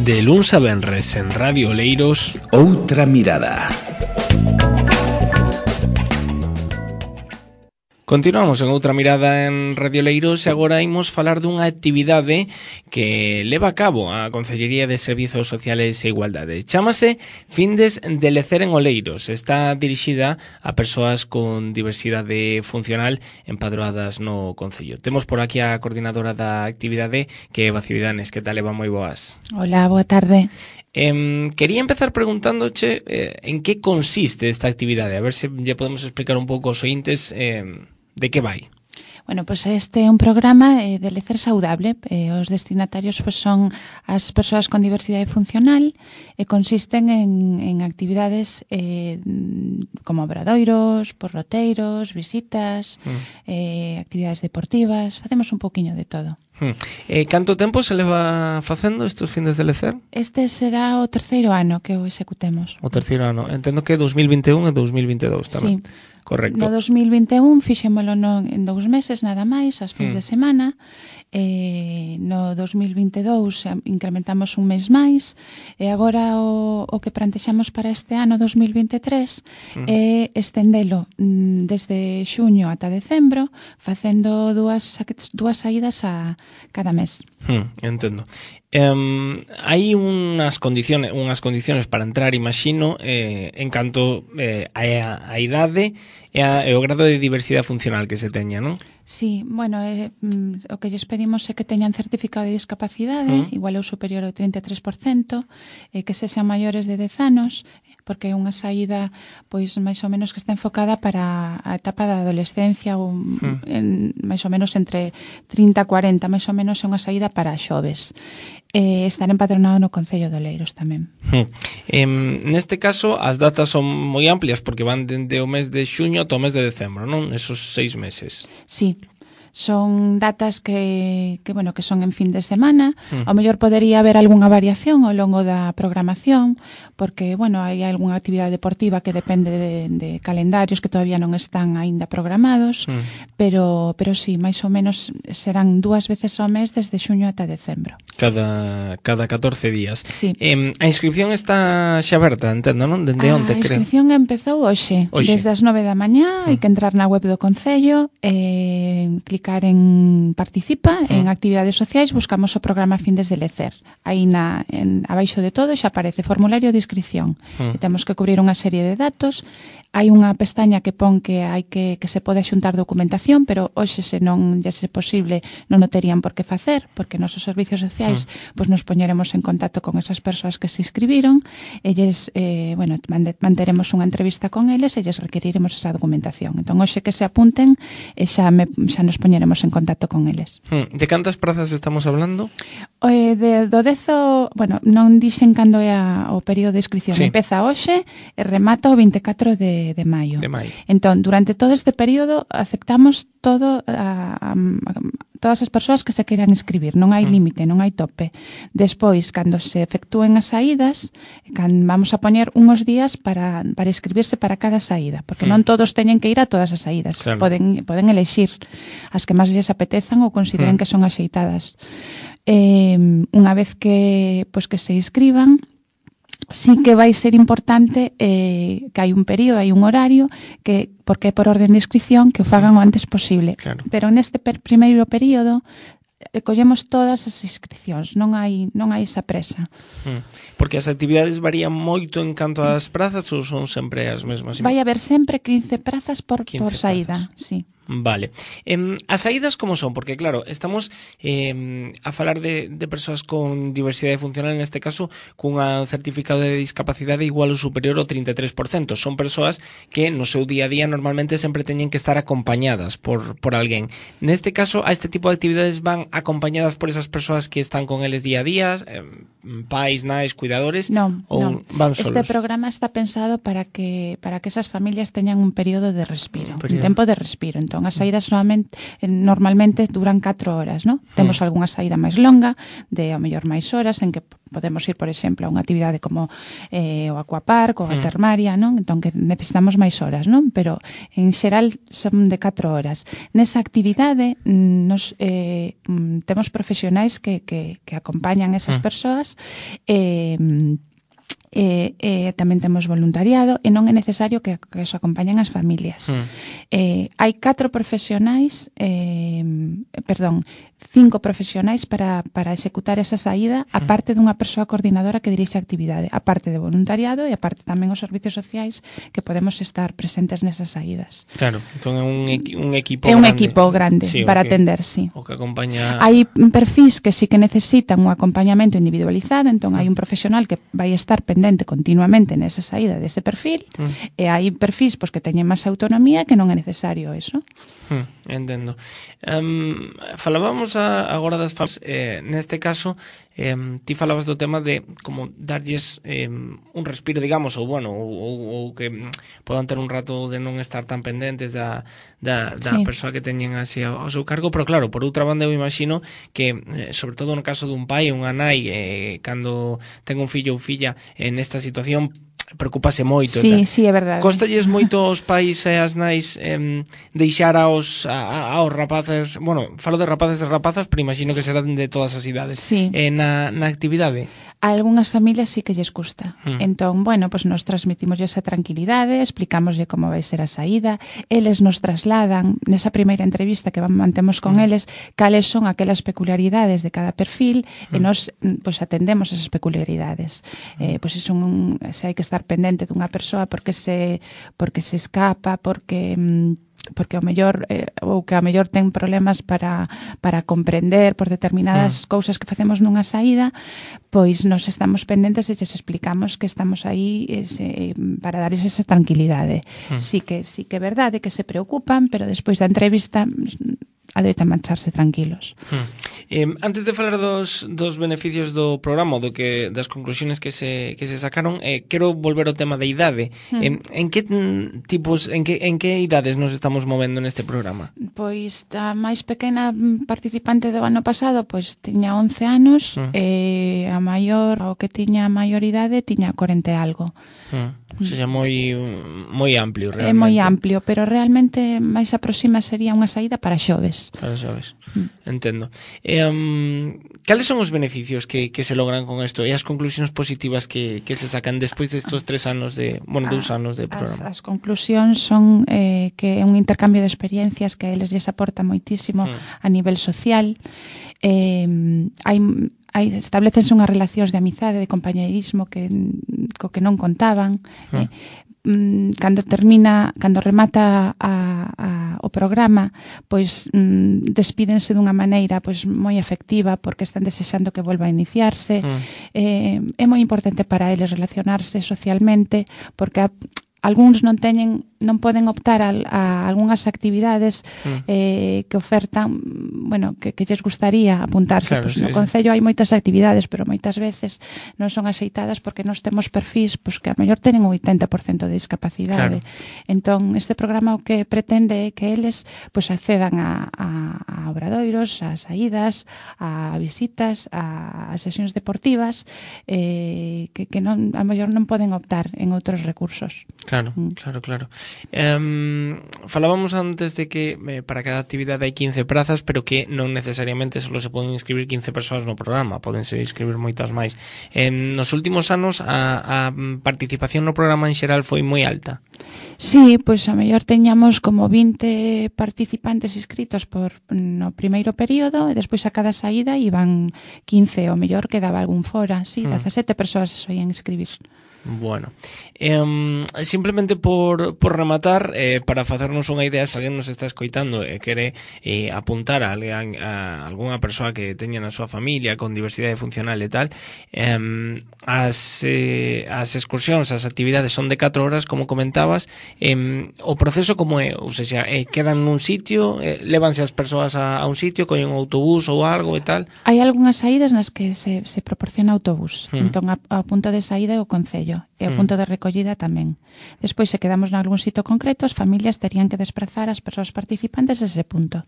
De luns a venres en Radio Oleiros, Outra Mirada. Continuamos en Outra Mirada en Radio Oleiros e agora imos falar dunha actividade que leva a cabo a Consellería de Servizos Sociales e Igualdade. Chámase Findes de Lecer en Oleiros. Está dirixida a persoas con diversidade funcional empadroadas no Concello. Temos por aquí a coordinadora da actividade, que é Eva Cividanes. Que tal, Eva? Moi boas. Hola, boa tarde. Quería empezar preguntándoche en que consiste esta actividade, a ver se lle podemos explicar un pouco aos ointes de que vai. Bueno, pues este é un programa de lecer saudable. Os destinatarios pues, son as persoas con diversidade funcional e consisten en actividades como obradoiros, porroteiros, visitas, actividades deportivas. Facemos un pouquiño de todo. Canto tempo se leva facendo estes findes de lecer? Este será o terceiro ano que o executemos. O terceiro ano. Entendo que 2021 e 2022 tamén. Sí. Correcto. No 2021 fixémolo en 2 meses nada máis, as fins de semana. No 2022 incrementamos un mes máis e agora o que plantexamos para este ano 2023 é estendelo desde xuño ata decembro facendo dúas saídas a cada mes. Entendo. Hai unhas condiciones para entrar, imagino, en canto a idade e o grado de diversidade funcional que se teña, non? Sí, bueno, o que lles pedimos é que teñan certificado de discapacidade, igual ou superior ao 33%, que sexan maiores de 10 anos, porque é unha saída pois máis ou menos que está enfocada para a etapa da adolescencia ou máis ou menos entre 30 e 40, máis ou menos é unha saída para xoves. Estar empadronado no Concello de Oleiros tamén. Neste caso as datas son moi amplias porque van dende o mes de xuño ata o mes de decembro, non? Esos 6 meses. Sí. Son datas que son en fin de semana. Ao mellor podería haber algunha variación ao longo da programación, porque, hai algunha actividade deportiva que depende de calendarios que todavía non están aínda programados, pero sí, máis ou menos serán 2 veces ao mes desde xuño ata decembro. Cada 14 días. Sí. A inscripción está xa aberta, entendo, non? Dende onte, creo. A inscripción empezou hoxe. Desde as 9 da mañá, hai que entrar na web do Concello e clicar en Participa, en actividades sociais, buscamos o programa Findes de Lecer. Aí abaixo de todo xa aparece formulario de inscripción. E temos que cubrir unha serie de datos. Hai unha pestaña que pon que hai que se pode xuntar documentación, pero hoxe se non lle é posible non o terían por que facer, porque nosos servicios sociais nos poñeremos en contacto con esas persoas que se inscribiron e manteremos unha entrevista con eles e lles requeriremos esa documentación. Entón, hoxe que se apunten xa nos poñeremos en contacto con eles. De cantas prazas estamos hablando? Do 10, non dixen cando é o período de inscripción. Sí. Empeza hoxe e remata o 24 de maio. Entón, durante todo este período aceptamos todas as persoas que se queiran inscribir. Non hai límite, non hai tope. Despois, cando se efectúen as saídas, vamos a poñer uns días para inscribirse para cada saída, porque non todos teñen que ir a todas as saídas. Claro. Poden elexir as que máis lles apetezan ou consideren que son axeitadas. Unha vez que se inscriban, sí que vai ser importante que hai un período, hai un horario porque é por orden de inscripción que o fagan o antes posible. Claro. Pero neste primeiro período collemos todas as inscripcións, non hai esa presa. Porque as actividades varían moito en canto ás prazas ou son sempre as mesmas? Vai haber sempre 15 prazas por saída, sí. Vale. As saídas como son? Porque claro, estamos a falar de persoas con diversidade funcional, neste caso cunha certificado de discapacidade igual ou superior ao 33%. Son persoas que no seu día a día normalmente sempre teñen que estar acompañadas por alguén. Neste caso, a este tipo de actividades van acompañadas por esas persoas que están con eles día a día, pais, nais, cuidadores? Non. Van solos? Este programa está pensado para que esas familias teñan un período de respiro, un tempo de respiro. Entón, Entón, as saídas normalmente duran 4 horas, non? Temos algunha saída máis longa, de ao mellor máis horas, en que podemos ir, por exemplo, a unha actividade como o aquapark ou a termaria, non? Entón, que necesitamos máis horas, non? Pero, en xeral, son de 4 horas. Nesa actividade, temos profesionais que acompañan esas persoas, tamén temos voluntariado e non é necesario que os acompañen as familias. Hai 5 profesionais para executar esa saída, aparte dunha persoa coordinadora que dirixe a actividade, aparte de voluntariado e aparte tamén os servicios sociais que podemos estar presentes nesas saídas. Claro, entón é un equipo grande. É un equipo grande para atender, sí. O que acompaña... Hai perfis que sí que necesitan un acompañamento individualizado, entón hai un profesional que vai estar pendente continuamente nesa saída dese perfil, e hai perfis que teñen máis autonomía que non é necesario eso. Entendo. Falábamos agora das familias, neste caso ti falabas do tema de como darlles un respiro, digamos, ou que podan ter un rato de non estar tan pendentes da persoa que teñen así ao seu cargo, pero claro, por outra banda eu imagino que, sobre todo no caso dun pai ou unha nai, cando ten un fillo ou filla nesta situación, preocupase moito. Sí, é verdade. Costalles moito aos pais e as nais deixar aos rapaces, falo de rapaces e rapazas, pero imagino que serán de todas as idades, na actividade. A algunhas familias sí que lles custa. Entón, nos transmitimos esa tranquilidade, explicámoslle como vai ser a saída, eles nos trasladan, nesa primeira entrevista que mantemos con eles, cales son aquelas peculiaridades de cada perfil, e nos atendemos esas peculiaridades. Se hai que estar pendente dunha persoa porque se escapa, porque ao mellor ou que ao mellor ten problemas para comprender por determinadas cousas que facemos nunha saída, pois nos estamos pendentes e lles explicamos que estamos aí para darles esa tranquilidade. Sí que é verdade que se preocupan, pero despois da entrevista adoitan marcharse tranquilos. Antes de falar dos beneficios do programa, das conclusiones que se sacaron, quero volver ao tema da idade. En que idades nos estamos movendo neste programa? Pois a máis pequena participante do ano pasado tiña 11 anos, e a maior, o que tiña maioridade, tiña 40 e algo. O sea, moi amplio, realmente. É moi amplio, pero realmente máis aproxima sería unha saída para xoves. Para xoves, entendo. Cales son os beneficios que se logran con isto e as conclusións positivas que se sacan despois destos 2 anos de programa? As conclusións son que é un intercambio de experiencias que a eles lles aporta moitísimo a nivel social. Establecense unhas relacións de amizade, de compañeirismo co que non contaban. Cando remata o programa, despídense dunha maneira moi efectiva porque están desexando que volva a iniciarse. É moi importante para eles relacionarse socialmente porque algúns non poden optar a algunhas actividades que ofertan, que lles gustaría apuntarse. No Concello hai moitas actividades, pero moitas veces non son axeitadas porque nós temos perfis que a mellor tenen un 80% de discapacidade. Entón, este programa o que pretende é que eles accedan a obradoiros, a saídas, a visitas, a sesións deportivas, que a mellor non poden optar en outros recursos. Claro. Falábamos antes de que para cada actividade hai 15 prazas, pero que non necesariamente só se poden inscribir 15 persoas no programa, podense inscribir moitas máis. Nos últimos anos a participación no programa en xeral foi moi alta. Sí, a mellor teñamos como 20 participantes inscritos no primeiro período e despois a cada saída iban 15, o mellor quedaba algún fora, 17 persoas se soían inscribir. Bueno, simplemente por rematar, para facernos unha idea, se alguén nos está escoitando e quere apuntar a algunha persoa que teña na súa familia con diversidade funcional e tal, as excursións, as actividades son de 4 horas, como comentabas. O proceso como é? Ou seja, quedan nun sitio, lévanse as persoas a un sitio, collen un autobús ou algo e tal? Hai algunhas saídas nas que se proporciona autobús, entón a punto de saída é o Concello. concello e o punto de recollida tamén. Despois, se quedamos nalgún sitio concreto, as familias terían que desplazar as persoas participantes a ese punto.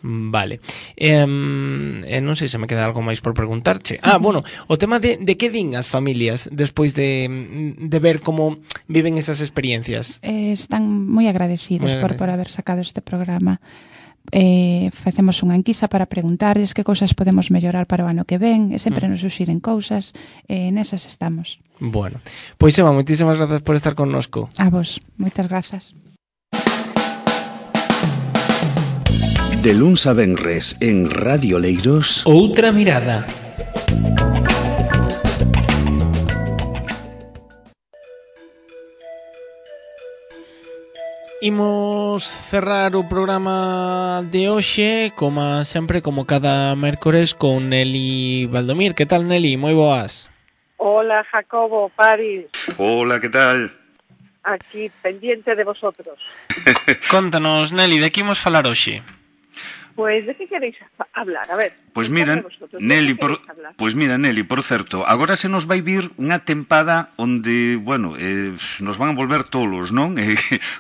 Vale. Non sei se me queda algo máis por preguntarche. Bueno, o tema de que din as familias despois de ver como viven esas experiencias. Están moi agradecidos por haber sacado este programa. Facemos unha enquisa para preguntarles que cousas podemos mellorar para o ano que ven, e sempre nos suxiren cousas, nesas estamos. Bueno, pois Eva, moitísimas grazas por estar connosco. A vos, moitas grazas. De luns a venres en Radio Leiros, Outra mirada. Imos cerrar o programa de hoxe, como sempre, como cada mércores, con Nelly Valdomir. Que tal, Nelly? Moi boas. Hola, Jacobo, Paris. Hola, que tal? Aquí, pendiente de vosotros. Contanos, Nelly, de que imos falar hoxe? Pues, ¿de qué queréis hablar? A ver. Pois mira, Nelly, por certo, agora se nos vai vir unha tempada onde, bueno, nos van a volver tolos, non?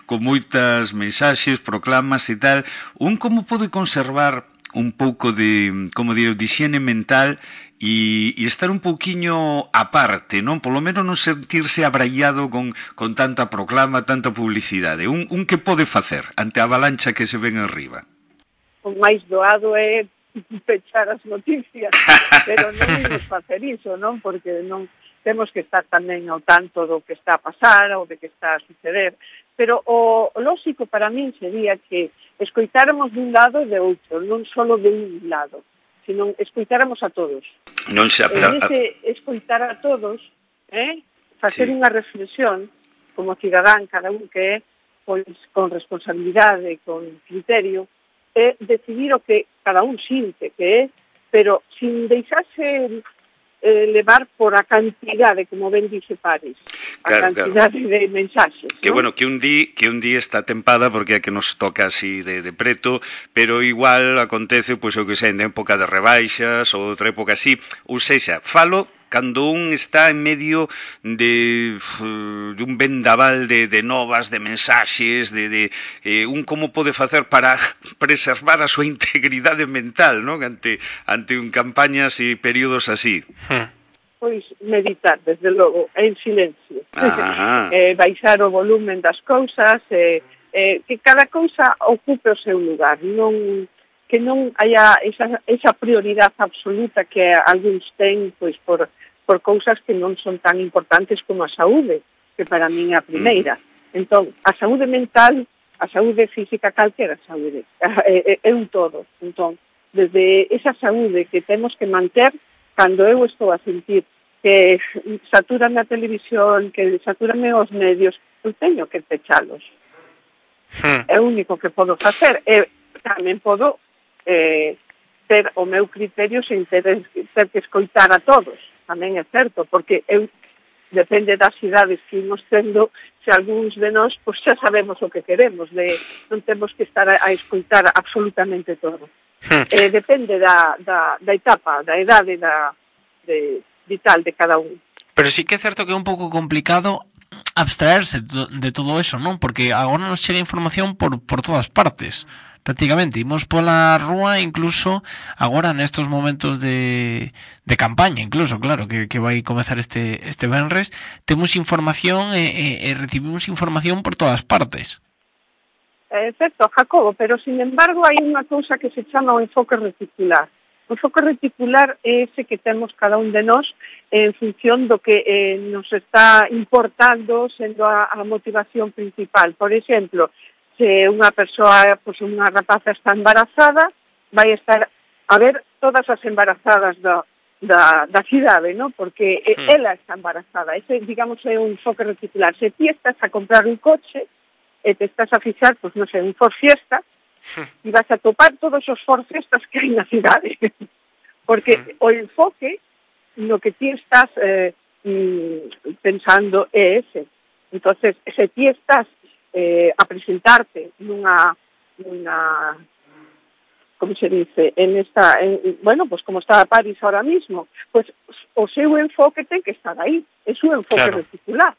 Con moitas mensaxes, proclamas e tal. Como pode conservar un pouco de, como diré, de higiene mental e estar un pouquiño aparte, non? Polo menos non sentirse abraiado con tanta proclama, tanta publicidade. Que pode facer ante a avalancha que se ven arriba? O máis doado é pechar as noticias, pero non imos facer iso, non? Porque non temos que estar tamén ao tanto do que está a pasar ou de que está a suceder. Pero o lógico para min sería que escoitáramos dun lado e de outro, non só de un lado, sino escoitáramos a todos. Non se ese escoitar a todos, facer unha reflexión como cidadán, cada un que é, pois, con responsabilidade, con criterio, é decidir o que cada un sinte que é, pero sin deixarse levar por a cantidade, como ben dice Paris, a cantidade de mensaxes. Que, ¿no? Bueno, que un día está tempada porque é que nos toca así de preto, pero igual acontece, pois, o que sei, en época de rebaixas ou outra época así, ou sexa, falo cando un está en medio de un vendaval de novas, de mensaxes, de como pode facer para preservar a súa integridade mental, non? Ante campañas e períodos así. Pois meditar, desde logo, en silencio. Baixar o volumen das cousas, que cada cousa ocupe o seu lugar, que non haya esa prioridade absoluta que algúns ten, pois, por cousas que non son tan importantes como a saúde, que para min é a primeira. Entón, a saúde mental, a saúde física, calquera saúde, é un todo. Entón, desde esa saúde que temos que manter, cando eu estou a sentir que saturame a televisión, que saturame os medios, eu teño que pechalos. É o único que podo facer. Tamén podo ter o meu criterio sin ter que escoitar a todos. Tamén é certo, porque depende das idades que imos tendo, se algúns de nós, pois xa sabemos o que queremos, non temos que estar a escoitar absolutamente todo. Depende da etapa, da idade vital de cada un. Pero sí que é certo que é un pouco complicado abstraerse de todo eso, non? Porque agora nos chega información por todas partes. Prácticamente, imos pola rúa, incluso agora nestos momentos de campaña, incluso, claro, que vai comezar este venres, temos información e recibimos información por todas partes. É certo, Jacobo, pero sin embargo hai unha cousa que se chama o enfoque reticular. O enfoque reticular é ese que temos cada un de nós en función do que nos está importando sendo a motivación principal. Por exemplo, se unha persoa, pois unha rapaza está embarazada, vai estar a ver todas as embarazadas da cidade, ¿no? Porque ela está embarazada. Ese, digamos, é un enfoque reticular. Se ti estás a comprar un coche e te estás a fixar, pois non sei, un Ford Fiesta, e vas a topar todos os Ford Fiestas que hai na cidade. Porque o enfoque no que ti estás pensando é ese. Entonces, se ti estás a presentarte nunha como se dice, bueno, pues como está París ahora mismo, pues o seu enfoque ten que estar aí, é o enfoque reticular.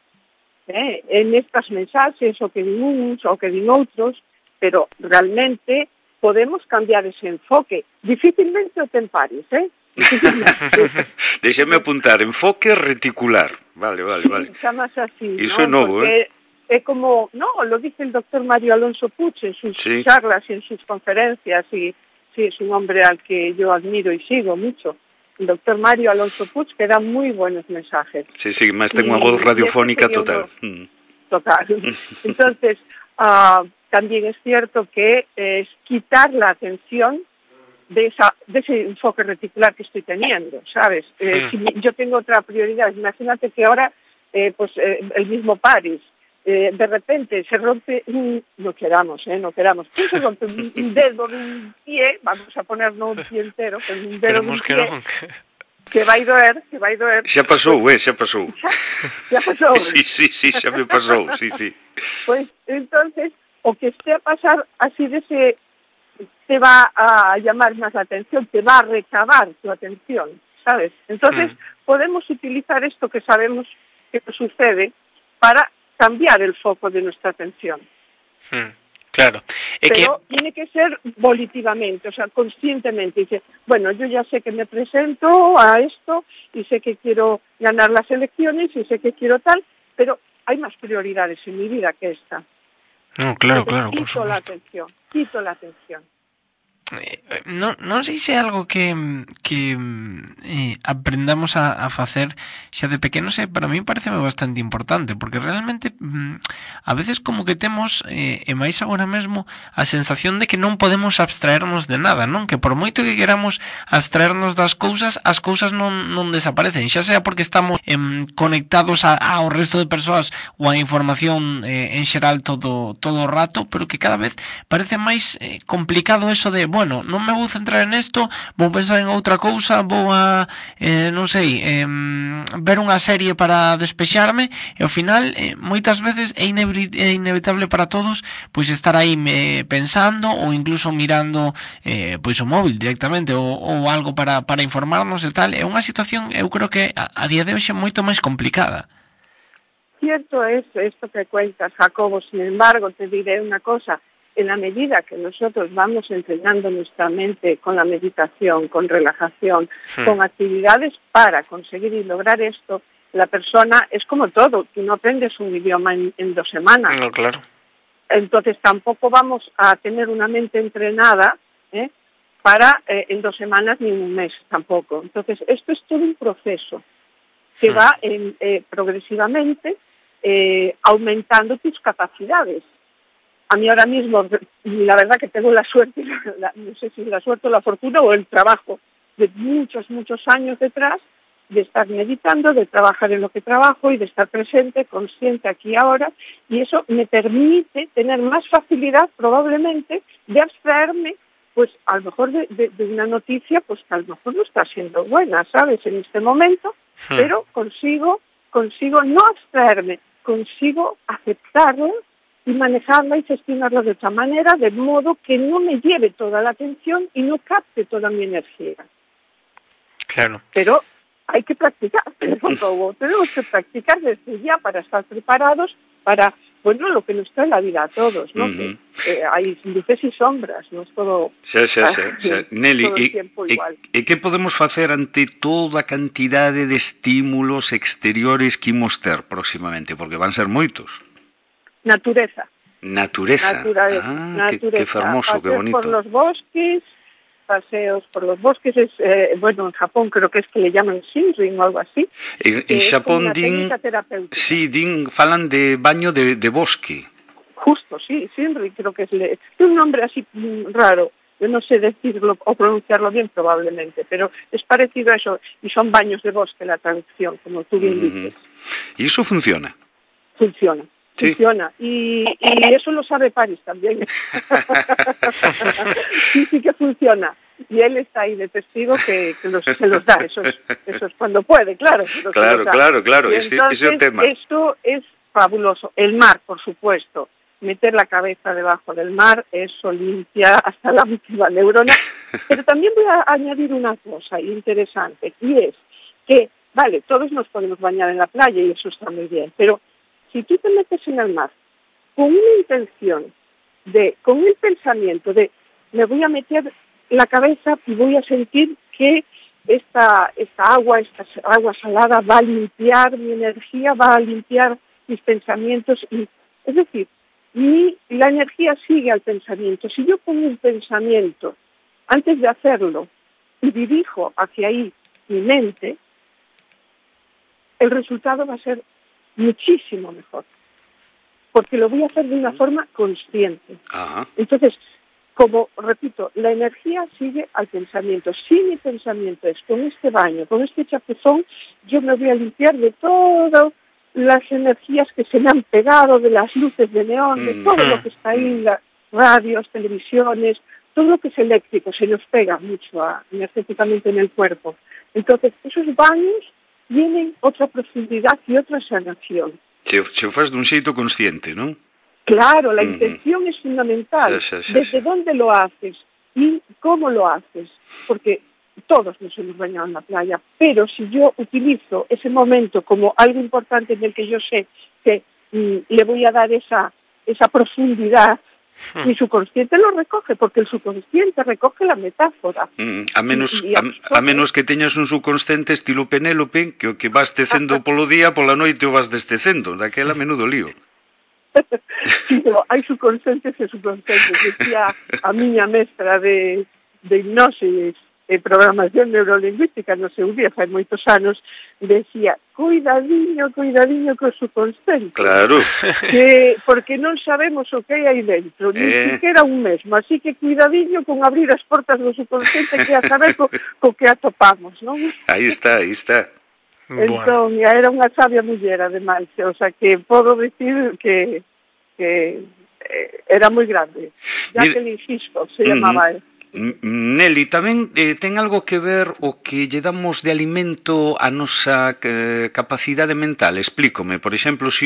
En estas mensaxes, o que din uns, o que din outros, pero realmente podemos cambiar ese enfoque. Difícilmente o ten París, Déxeme apuntar, enfoque reticular. Vale. Sí, chamas así, Iso é novo, porque é como, lo dice el doctor Mario Alonso Puig en sus charlas y en sus conferencias, y sí, es un hombre al que yo admiro y sigo mucho. El doctor Mario Alonso Puig, que da muy buenos mensajes. Sí, más tengo una voz radiofónica total. Total. Entonces, también es cierto que es quitar la atención de ese enfoque reticular que estoy teniendo, ¿sabes? Si yo tengo otra prioridad, imagínate que ahora, el mismo París, de repente se rompe, no queramos, pues se rompe un dedo de un pie, vamos a poner no un pie entero, pero un dedo de un pie, que vai doer. Xa pasou, xa pasou. Xa pasou. Sí, xa me pasou, sí. Pues entonces, o que esté a pasar así de ese, te va a llamar más la atención, te va a recabar tu atención, ¿sabes? Entonces, podemos utilizar esto que sabemos que sucede para cambiar el foco de nuestra atención. Claro. Pero tiene que ser volitivamente, o sea, conscientemente. Dice, bueno, yo ya sé que me presento a esto y sé que quiero ganar las elecciones y sé que quiero tal, pero hay más prioridades en mi vida que esta. No, claro. Quito la atención. Non sei se é algo que aprendamos a facer xa de pequenos, para mí pareceme bastante importante, porque realmente a veces como que temos, e máis agora mesmo, a sensación de que non podemos abstraernos de nada, non? Que por moito que queramos abstraernos das cousas, as cousas non desaparecen, xa sea porque estamos conectados ao resto de persoas ou a información en xeral todo o rato, pero que cada vez parece máis complicado eso de, bueno, non me vou centrar en isto, vou pensar en outra cousa, vou a, non sei, ver unha serie para despexarme, e ao final, moitas veces é inevitable para todos, pois estar aí pensando, ou incluso mirando pois o móvil directamente, ou algo para informarnos e tal. É unha situación, eu creo que a día de hoxe é moito máis complicada. Cierto es esto que cuentas, Jacobo. Sin embargo, te diré una cosa. En la medida que nosotros vamos entrenando nuestra mente con la meditación, con relajación, con actividades para conseguir y lograr esto, la persona es como todo. Tú no aprendes un idioma en 2 semanas. No, claro. Entonces tampoco vamos a tener una mente entrenada para en 2 semanas ni en 1 mes tampoco. Entonces esto es todo un proceso que va progresivamente aumentando tus capacidades. A mí ahora mismo, la verdad que tengo la suerte, no sé si la suerte o la fortuna o el trabajo de muchos años detrás, de estar meditando, de trabajar en lo que trabajo y de estar presente, consciente aquí y ahora, y eso me permite tener más facilidad probablemente de abstraerme, pues a lo mejor de una noticia, pues que a lo mejor no está siendo buena, ¿sabes? En este momento, pero consigo no abstraerme, consigo aceptarlo y manejarla y gestionarla de otra manera, de modo que no me lleve toda la atención y no capte toda mi energía. Claro. Pero hay que practicar, tenemos que practicar desde ya para estar preparados para, bueno, lo que nos trae la vida a todos, ¿no? Que hay luces y sombras, no es todo, Nelly, todo el tiempo igual. E que podemos facer ante toda a cantidade de estímulos exteriores que imos ter próximamente? Porque van ser moitos. Naturaleza. Qué hermoso, qué bonito. Paseos por los bosques es, bueno, en Japón creo que es que le llaman Shinrin o algo así. En Japón falan de baño de bosque. Justo, sí, Shinrin creo que es un nombre así raro. Yo no sé decirlo o pronunciarlo bien probablemente, pero es parecido a eso. Y son baños de bosque la traducción, como tú bien dices. ¿Y eso funciona? Funciona. Sí. Funciona. Y eso lo sabe París también. sí que funciona. Y él está ahí de testigo que se los da. Eso es cuando puede, claro. Claro. Y entonces, ese es el tema. Esto es fabuloso. El mar, por supuesto. meter la cabeza debajo del mar, eso limpia hasta la última neurona. Pero también voy a añadir una cosa interesante, y es que, vale, todos nos podemos bañar en la playa y eso está muy bien, pero si tú te metes en el mar con una intención, con el pensamiento de me voy a meter la cabeza y voy a sentir que esta agua salada va a limpiar mi energía, va a limpiar mis pensamientos, es decir, la energía sigue al pensamiento. Si yo pongo un pensamiento antes de hacerlo y dirijo hacia ahí mi mente, el resultado va a ser muchísimo mejor, porque lo voy a hacer de una forma consciente. Ajá. Entonces, como repito, la energía sigue al pensamiento. Si mi pensamiento es con este baño, con este chapuzón, yo me voy a limpiar de todas las energías que se me han pegado, de las luces de neón, de todo lo que está ahí, las radios, televisiones, todo lo que es eléctrico, se nos pega mucho energéticamente en el cuerpo. Entonces, esos baños tienen otra profundidad y otra sanación. Se o faz dun xeito consciente, non? Claro, la intención es fundamental. Desde dónde lo haces y cómo lo haces. Porque todos nos hemos bañado en la playa, pero si yo utilizo ese momento como algo importante en el que yo sé que le voy a dar esa profundidad, mi subconsciente lo recoge, porque el subconsciente recoge la metáfora. A menos que teñas un subconsciente estilo Penélope, que o que vas tecendo polo día, pola noite o vas destecendo, daquela menudo lío. Sí, pero hai subconscientes e subconscientes. Decía a miña mestra de hipnosis e programación neurolingüística no seu día, fai moitos anos, decía, cuidadiño co subconsciente. Claro. Porque non sabemos o que hai aí dentro, ni siquiera un mesmo, así que cuidadiño con abrir as portas do subconsciente, que a saber co que atopamos, non? Aí está. Entón, era unha sabia muller, ademais, o sea, que podo dicir que era moi grande. Jacqueline Hisco se chamaba él. Nelly, tamén ten algo que ver o que lle damos de alimento a nosa capacidade mental. Explícome, por exemplo, se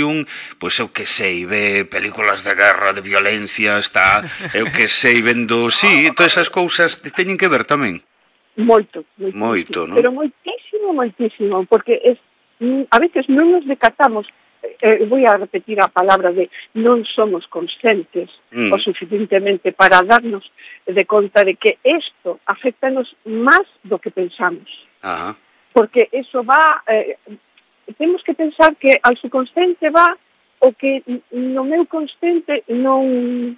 pois eu que sei, ve películas de guerra, de violencia, está, eu que sei, vendo, sí, todas esas cousas teñen que ver tamén. Moito, non? Pero moitísimo, porque a veces non nos decatamos, voy a repetir a palabra de non somos conscientes o suficientemente para darnos de conta de que esto afectanos máis do que pensamos. Ajá. Porque eso va, temos que pensar que al subconsciente va o que no meu consciente non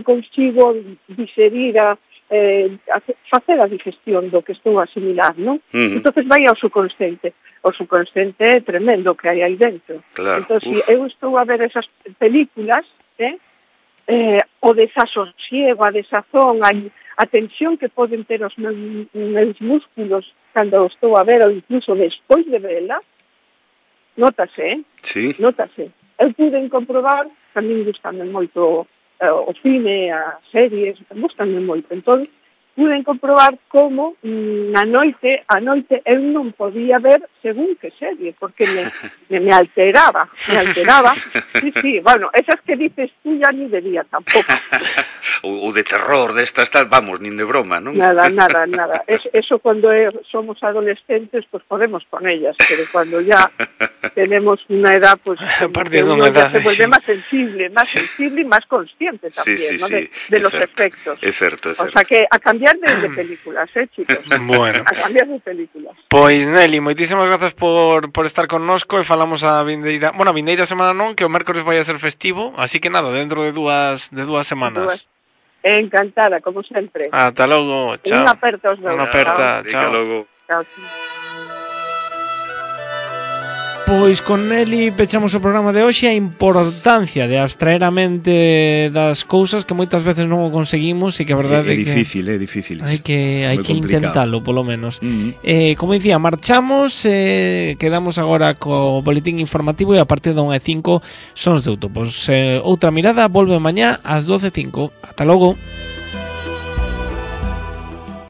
consigo digerir facer a digestión do que estou a asimilar, non? Entonces vai ao subconsciente. O subconsciente é tremendo que hai aí dentro. Claro. Entón, se eu estou a ver esas películas, o desasosiego, a desazón, a tensión que poden ter os meus músculos cando estou a ver, ou incluso despois de vela, nótase, Sí. Nótase. Eu puden comprobar, tamén gustame moito o cine, as series, gustame moito. Entón, puden comprobar como a noite eu non podía ver según que serie, porque me alteraba. Sí, bueno, esas que dices tú ya ni de día tampouco. O de terror, destas tal, vamos, nin de broma, non? Nada. Eso cuando somos adolescentes, pues podemos con ellas, pero cuando ya tenemos una edad, pues uno ya se vuelve más sensible y más consciente también, sí, ¿no? Sí, de los efectos. É certo. O sea que a cambiar de películas, chicos. Bueno. A cambiar de películas. Pois, Nelly, moitísimas grazas por estar connosco e falamos a vindeira semana non, que o mércores vai a ser festivo, así que nada, dentro de dúas semanas. Encantada, como sempre. Ata logo, chao. Unha aperta aos meus. Unha aperta, chao. Chao. Pois con Nelly pechamos o programa de hoxe, a importancia de abstraer a mente das cousas que moitas veces non o conseguimos e que a verdade é difícil, é difícil. Hai que intentalo, polo menos. Como dicía, marchamos, quedamos agora co boletín informativo e a partir da 1:05 Sons de Autopos. Outra mirada volve mañá ás 12:05. Ata logo.